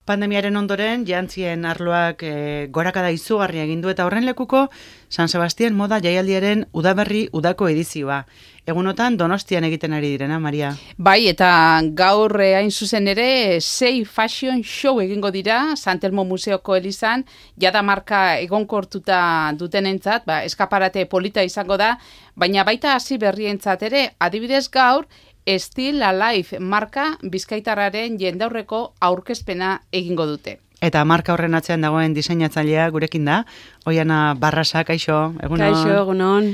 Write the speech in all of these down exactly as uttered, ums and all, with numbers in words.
Pandemiaren ondoren, jantzien arloak e, gorakada izugarria egin du eta horren lekuko San Sebastian moda jaialdiaren udaberri udako edizioa. Egunotan Donostian egiten ari direna, Maria. Bai, eta gaur hain zuzen ere sei fashion show egingo dira San Telmo Museoko elizan, jada marka egonkortuta dutenentzat, ba, eskaparate polita izango da, baina baita hasi berrientzat ere, adibidez gaur, Still Alive marka bizkaitarraren jendaurreko aurkezpena egingo dute. Eta marka horren atzean dagoen diseinatzailea gurekin da, Oiana Barrasa, kaixo, egunon. Kaixo, egunon.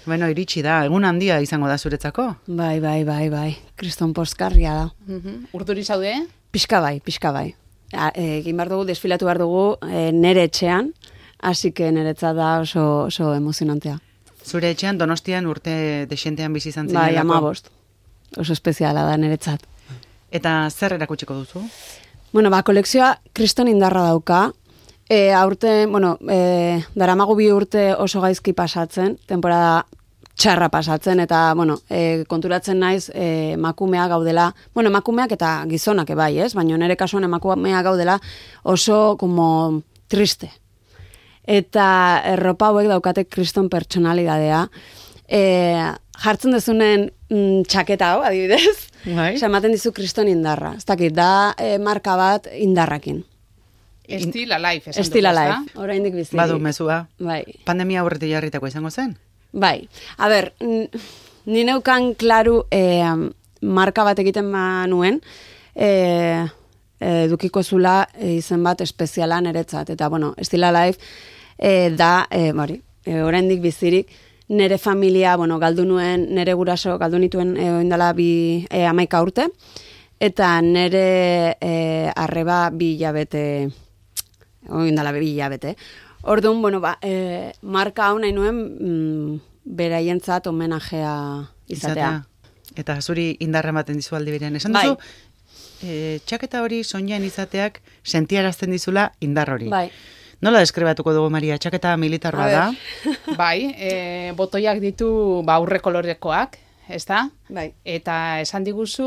Bueno, iritsi da, egun handia izango da zuretzako. Bai, bai, bai, bai, kriston poskarria da. Uh-huh. Urduri zaude? Pixka bai, pixka bai. Egin behar dugu, desfilatu behar dugu e, nere etxean, hasi que niretzat da oso, oso emozionantea. Zure etxean Donostian urte desentean bizi izan zen. Bai, amabost. Oso espeziala da niretzat. Eta zer erakutsiko duzu? Bueno, ba, kolekzioa kriston indarra dauka. E, aurte, bueno, e, daramagu bi urte oso gaizki pasatzen, temporada txarra pasatzen, eta, bueno, e, konturatzen naiz e, emakumea gaudela, bueno, emakumeak eta gizonak ebai, ez? Baina nire kasuan emakumea gaudela oso, como, triste. Eta erropa hauek daukate kriston pertsonalidadea. E, jartzen dezunen mm, txaketa hau, adibidez, bai. Ematen dizu kriston indarra. Ez dakit, da e, marka bat indarrakin. Still Alive, esan Still Alive, oraindik bizi. Badu mezua. Bai. Pandemia aurretik jarritako izango zen? Bai. A ber, ni neukan klaru e, marka bat egiten manuen, e, edukiko zula e, izen bat espeziala niretzat. Eta, bueno, Still Alive e, da, e, bari, e, oraindik bizirik, nere familia, bueno, galdu nuen, nere guraso, galdu nituen e, oindala bi e, amaika urte, eta nere e, arreba bi hilabete, oindala bi hilabete. Orduan, bueno, ba, e, marka hau nahi nuen mm, beraientzat homenajea izatea. izatea. Eta zuri indarra ematen dizu aldi berean. Esan duzu, bai. e, txaketa hori soinean izateak sentiarazten dizula indar hori. Bai. Nola deskribatuko dugu, Maria? Txaketa militarra da? Bai, e, botoiak ditu ba, aurre kolorekoak, ez da? Bai. Eta esan diguzu,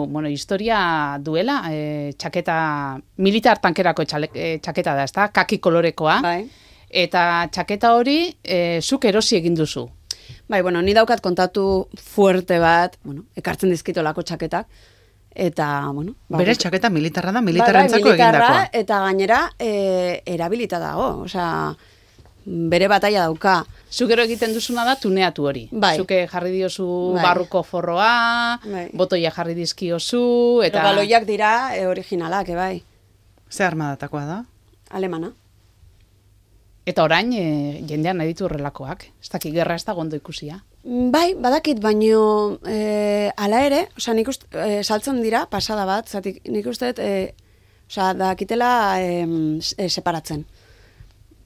bueno, historia duela, e, txaketa, militar tankerako txale, e, txaketa da, ez da? Kaki kolorekoa. Bai. Eta txaketa hori, e, zuk erosi egin duzu. Bai, bueno, ni daukat kontatu fuerte bat, bueno, ekartzen dizkitolako txaketak, eta, bueno... Ba, Bere txaketa militarra da, militarrentzako bai, bai, egindakoa. Eta gainera, e, erabilita dago, osea, bere bataia dauka. Zukero egiten duzuna da tuneatu hori. Bai. Zuke jarri diozu bai. barruko forroa, bai. botoia jarri dizkiozu, eta... Baloiak dira e, originalak, bai. Ze armadatakoa da? Alemana. Eta orain, e, jendean nahi ditu horrelakoak. Ez dakik gerra ez da gondo ikusia. Bai, badakit, baino e, ala ere, osea, nik uste, e, saltzen dira, pasada bat, zatik, nik uste, e, osea, dakitela e, e, separatzen.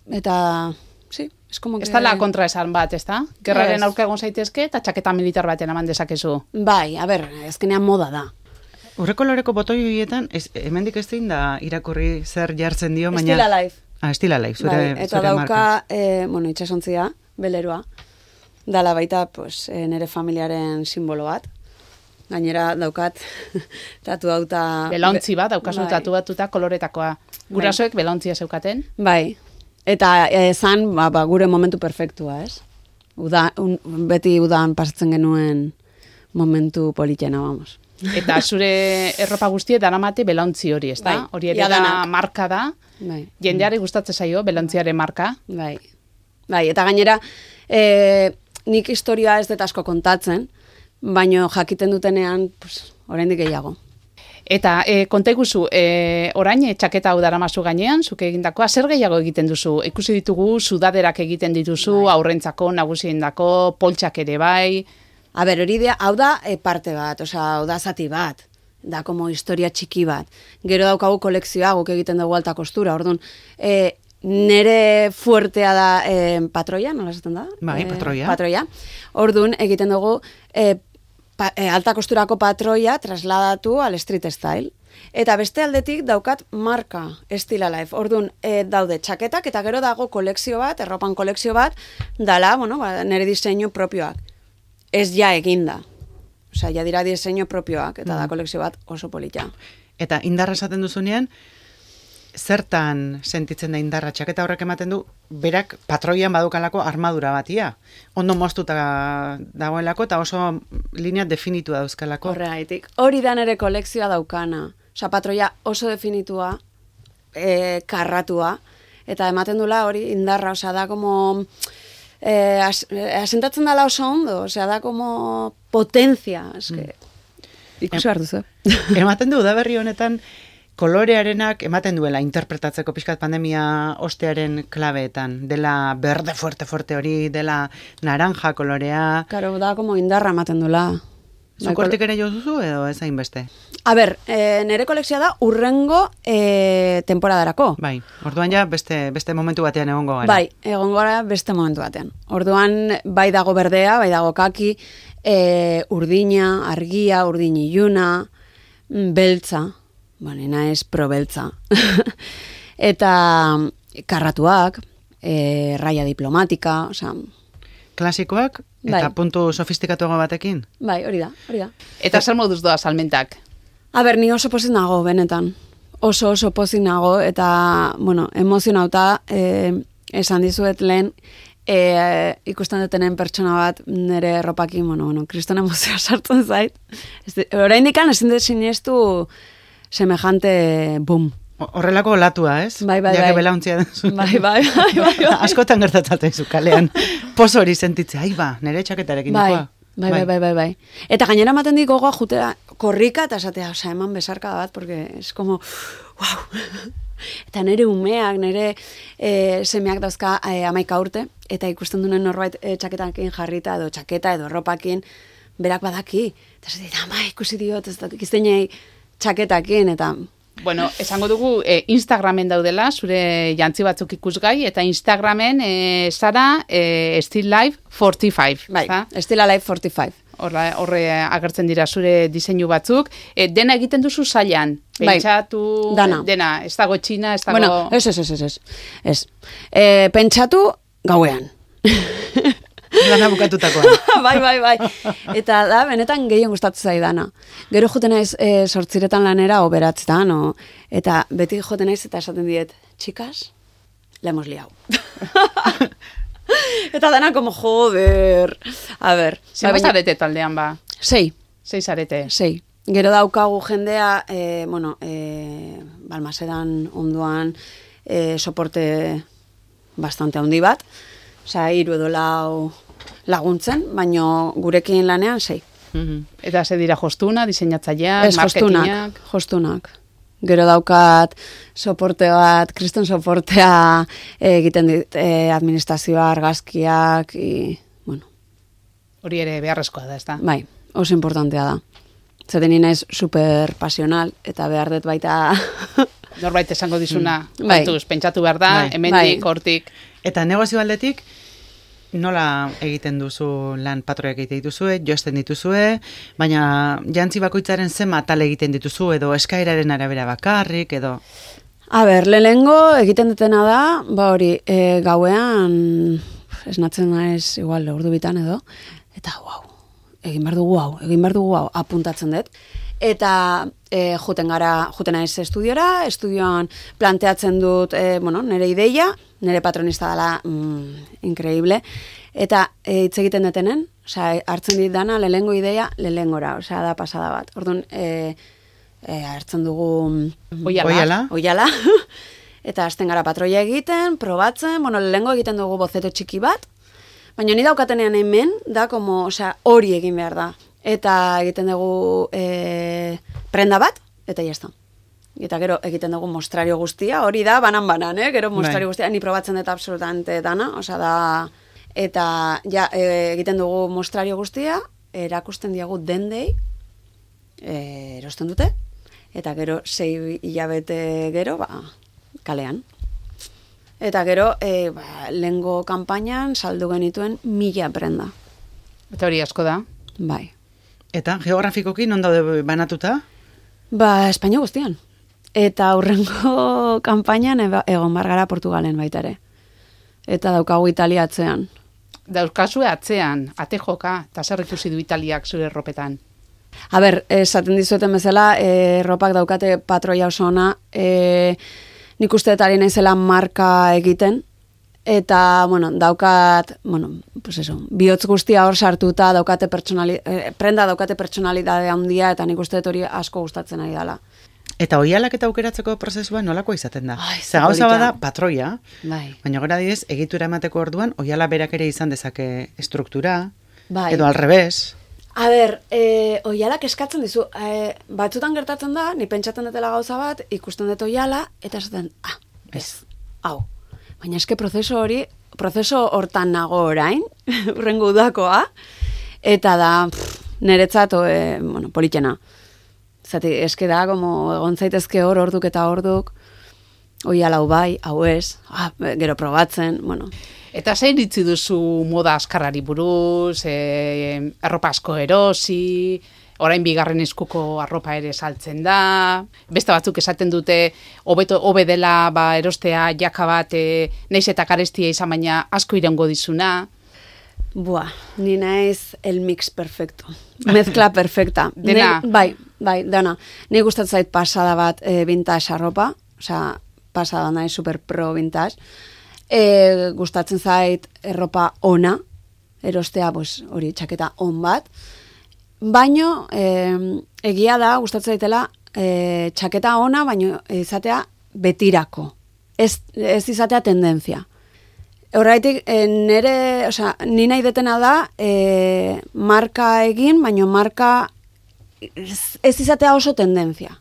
Eta, sí, es como que... Ez da la kontra esan bat, ez da? Gerraren Ez. aurka egon zaitezke eta txaketa militar baten eman dezakezu. Bai, a ber, ezkenean moda da. Urrekoloreko botoi horietan, ez, hemendik ez da irakurri zer jartzen dio, baina... Still Alive. Ah, Still Alive, zure, Bai, eta zure dauka, marka. e, bueno, itxasontzia, beleroa, dala baita, pues, e, nere familiaren simbolo bat. Gainera daukat, tatu dauta... Belauntzi bat, daukazu bai. tatu batuta koloretakoa. Gurasoek belauntzia zeukaten. Bai, eta ezan, ba, ba, gure momentu perfektua, ez? Uda, un, beti udan pasatzen genuen momentu politena, vamos. Eta zure erropa guztie daramate belauntzi hori, ez da? Bai, Hori ere da jadanak. marka da. Bai. Jendeari gustatzen zaio belauntziaren marka. Bai. Bai, eta gainera, e, nik historia ez dut asko kontatzen, baino jakiten dutenean, pues, oraindik gehiago. Eta e, konta iguzu, e, orain e, txaketa hau daramazu gainean, zuke egindakoa, zer gehiago egiten duzu? Ikusi ditugu, sudaderak egiten dituzu, bai. Aurrentzako, nagusiendako, poltsak ere bai. A ber, hori da, hau da e, parte bat, osea, hau da zati bat, da como historia txiki bat. Gero daukagu kolekzioa, guk egiten dugu alta kostura, orduan, e, nere fuertea da e, patroia, nola esaten da? Bai, E, patroia. Patroia. Orduan, egiten dugu e, pa, e, alta kosturako patroia trasladatu al street style. Eta beste aldetik daukat marka Still Alive. Orduan, e, daude txaketak eta gero dago kolekzio bat, erropan kolekzio bat, dala, bueno, ba, nere diseinu propioak. Ez ja eginda. Osea, ja dira diseinu propioak, eta da kolekzio bat oso polita. Eta indarra esaten duzunean, zertan sentitzen da indarra? Txaketa horrek ematen du, berak patroian badukalako armadura batia. Ondo moztuta dagoelako eta oso linea definitua dauzkalako. Horregaitik. Hori da nere kolekzioa daukana. Osa, patroia oso definitua, e, karratua, eta ematen dula hori indarra, osea, da como... Eh, as, asentatzen dala oso ondo, osea, da como potencia, eske... Mm. Ikusi behar duzu. Ematen du, udaberri honetan, kolorearenak ematen duela interpretatzeko pixkat pandemia ostearen klabeetan. Dela berde fuerte fuerte hori, dela naranja kolorea. Karo, da como indarra ematen duela. Zukortik ere jo duzu edo ez hainbeste? A ber, e, nere kolekzioa da urrengo e, temporadarako. Bai, orduan ja beste, beste momentu batean egongo gara. Bai, egongo gara beste momentu batean. Orduan bai dago berdea, bai dago kaki, e, urdina, argia, urdin iluna, beltza, banena ez pro beltza. Eta karratuak, e, raia diplomatika, osea... Klasikoak, eta bai. Puntu sofistikatuago batekin? Bai, hori da, hori da. Eta zer moduz doa salmentak? A ber, ni oso pozik nago, benetan. Oso oso pozik nago, eta, bueno, emozionauta, eh, esan dizuet lehen, eh, ikusten dutenen pertsona bat nire erropakin, bueno, bueno, kriston emozioa sartzen zait. Orain dikan, ezin dut sinestu semejante boom. Horrelako olatua, ez? Bai, bai, Jake bai. belauntzia denzu. Bai, bai, bai, bai, bai. Askotan gertatzaten zu kalean. Pozo hori sentitzea, ai ba, nire txaketarekin bai, dikoa. bai, bai, bai, bai, bai. Eta gainera ematen dik gogoa jutera korrika eta esatea, osea, eman besarka bat, porque es como, wow. Eta nire umeak, nire e, semeak dauzka e, amaika urte, eta ikusten duen norbait e, txaketakin jarrita, edo txaketa, edo ropakin, berak badaki. Eta esatea, ama, ikusi diot, ez dakik iztenei txaketakin, eta... Bueno, esango dugu eh, Instagramen daudela, zure jantzi batzuk ikusgai, eta Instagramen eh, zara eh, Still Life forty-five. Bai, za? Still Alive forty-five. Horre, horre agertzen dira zure diseinu batzuk. E, dena egiten duzu zailan. Pentsatu, bai, dana. dena, ez dago txina, ez dago... Bueno, ez, ez, ez, ez, ez. ez. E, pentsatu gauean. Lana bukatutakoa. bai, bai, bai. Eta da, benetan gehien gustatzen zaidana. Gero joten naiz e, sortziretan lanera o beratzetan, o, eta beti joten naiz eta esaten diet, txikas, la hemos liau. Eta dana como, joder. A ber. Zer zarete taldean ba? Sei. Sei zarete. Sei. Gero daukagu jendea, e, bueno, e, Balmasedan onduan e, soporte bastante handi bat. Osea, hiru edo lau laguntzen, baino gurekin lanean sei. Mm-hmm. Eta ze dira jostuna, diseinatzaileak, Ez, jostunak, marketingak? jostunak. Gero daukat soporte bat, kriston soportea egiten dit, e, administrazioa, argazkiak, i, bueno. Hori ere beharrezkoa da, ez da? Bai, oso importantea da. Zaten naiz super pasional, eta behar dut baita... Norbait esango dizuna, mm. bai. kontuz, pentsatu behar da, Bai. hemendik, Bai. hortik... Eta negozio aldetik, nola egiten duzu lan patroiak egiten dituzue, josten dituzue, baina jantzi bakoitzaren zen atal egiten dituzu, edo eskaeraren arabera bakarrik, edo... A ber, lehengo egiten dutena da, ba hori, e, gauean, esnatzen naiz, igual, ordu bitan edo, eta wow, egin behar dugu hau, egin behar dugu hau, apuntatzen dut. Eta e, juten gara, juten naiz estudiora, estudioan planteatzen dut, e, bueno, nire ideia, nire patronista dela mm, increíble, eta e, hitz egiten detenen, osea, hartzen dit dana, lehengo ideia, lehengora, osea, da pasada bat. Orduan, e, e, hartzen dugu... Oiala. Oiala. Oiala. Eta hasten gara patroia egiten, probatzen, bueno, lehengo egiten dugu bozeto txiki bat, baina ni daukatenean hemen, da, como, osea, hori egin behar da. Eta egiten dugu e, prenda bat, eta jazta. Eta gero egiten dugu mostrario guztia, hori da, banan-banan, eh? Gero mostrario guztia, ni probatzen dut absolutamente dana, osea da, eta ja, e, egiten dugu mostrario guztia, erakusten diagu dendei, e, erosten dute, eta gero sei hilabete gero, ba, kalean. Eta gero, e, ba, lehengo kanpainan saldu genituen mila prenda. Eta hori asko da. Bai. Eta geografikoki non daude banatuta? Ba, Espainia guztian. Eta aurrengo kanpainan egon bargara Portugalen baita ere. Eta daukagu Italia atzean. Daukazue atzean, ate joka, eta zer ikusi du Italiak zure erropetan? A ber, esaten dizueten bezala, e, erropak daukate patroia oso ona, e, nik uste dut ari naizela marka egiten, eta, bueno, daukat, bueno, pues eso, bihotz guztia hor sartuta, daukate pertsonali, eh, prenda daukate pertsonalidade handia, eta nik uste dut hori asko gustatzen ari dela. Eta oihalak eta aukeratzeko prozesua nolakoa izaten da? Ai, Ze gauza polita. bada patroia, Bai. baina gora diez, egitura emateko orduan, oihala berak ere izan dezake estruktura, Bai. edo al revés. A ber, e, oialak eskatzen dizu, e, batzutan gertatzen da, ni pentsatzen dutela gauza bat, ikusten dut oiala, eta esaten, ah, ez, hau. Baina eske prozeso hori, prozeso hortan nago orain, urrengo udakoa, eta da, pff, niretzat, e, bueno, politxena. Zati, eske da, como egon zaitezke hor, orduk eta orduk, oiala hau bai, hau ez, ah, gero probatzen, bueno. Eta zein ditzi duzu moda askarrari buruz, e, arropa asko erosi, orain bigarren eskuko arropa ere saltzen da, beste batzuk esaten dute, hobeto hobe dela ba, erostea jaka bat, e, naiz eta karestia izan baina asko iraungo dizuna. Buah, ni naiz el mix perfecto. Mezcla perfecta. Dena? Ne, bai, bai, dena. Ni gustatzen zait pasada bat e, vintage arropa, osea, pasada naiz super pro vintage. E, gustatzen zait erropa ona, erostea, pues, hori txaketa on bat. Baino, e, egia da, gustatzen zaitela, e, txaketa ona, baino izatea betirako. Ez, ez izatea tendentzia. Horraitik, e, nere, osea, ni nahi detena da, e, marka egin, baino marka ez, ez izatea oso tendentzia.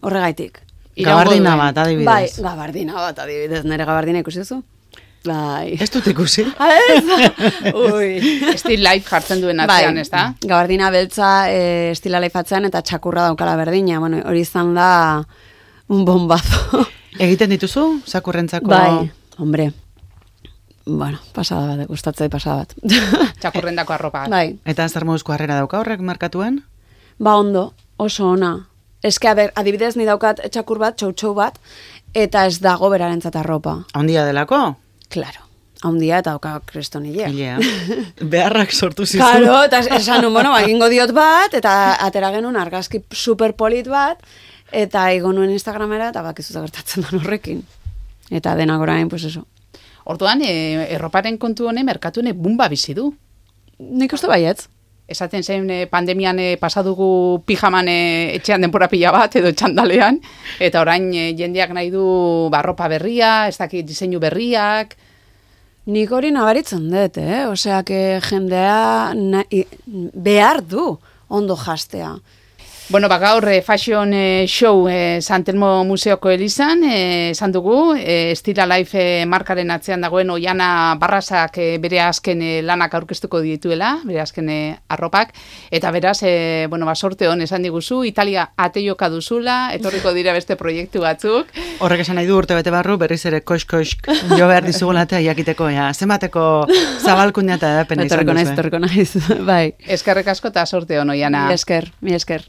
Horregaitik. Gabardina bat, adibidez. Bai, gabardina bat, adibidez, nire gabardina ikusi duzu? Bai. Ez dut ikusi. Ui. Still life jartzen duen atzean, ez da? Gabardina beltza e, estila life atzean eta txakurra daukala berdina. Bueno, hori izan da un bombazo. Egiten dituzu, zakurrentzako? Bai, hombre. Bueno, pasada bat, gustatzei pasada bat. Txakurrendako arropa. Bai. Eta zer moduzko harrera dauka horrek markatuen? Ba ondo, oso ona. Eske, a ber, adibidez ni daukat txakur bat, txou-txou bat, eta ez dago berarentzat arropa. Handia delako? Claro. Handia eta dauka krestonilea. Ilea. Beharrak sortu zizu. Claro, eta esan nun, bueno, egingo diot bat, eta atera genuen argazki superpolit bat, eta igo nuen Instagramera, eta bakizu gertatzen den horrekin. Eta denak orain, pues eso. Orduan, e, erroparen kontu honen merkatune bumba bizi du. Nik uste baietz. Esaten zen e, pandemian e, pasadugu pijaman e, etxean denpora pila bat edo txandalean, eta orain e, jendeak nahi du barropa berria, ez dakit diseinu berriak. Nik hori nabaritzen dut, eh? Osea, que jendea nahi, behar du ondo jastea. Bueno, ba, gaur eh, fashion eh, show eh, San Telmo Museoko Elizan, eh, esan dugu, eh, Stila Life eh, markaren atzean dagoen Oiana Barrasak eh, bere azken eh, lanak aurkeztuko dituela, bere azken eh, arropak, eta beraz, eh, bueno, ba, sorte hon esan diguzu, Italia ateioka duzula, etorriko dira beste proiektu batzuk. Horrek esan nahi du urte bete barru, berriz ere koix-koix jo behar dizugula eta jakiteko, ja, zenbateko zabalkuna eta edapena izan Etorriko naiz, duzu. etorriko naiz, bai. Eskerrik asko eta sorte hon, Oiana. Mi esker, mi esker.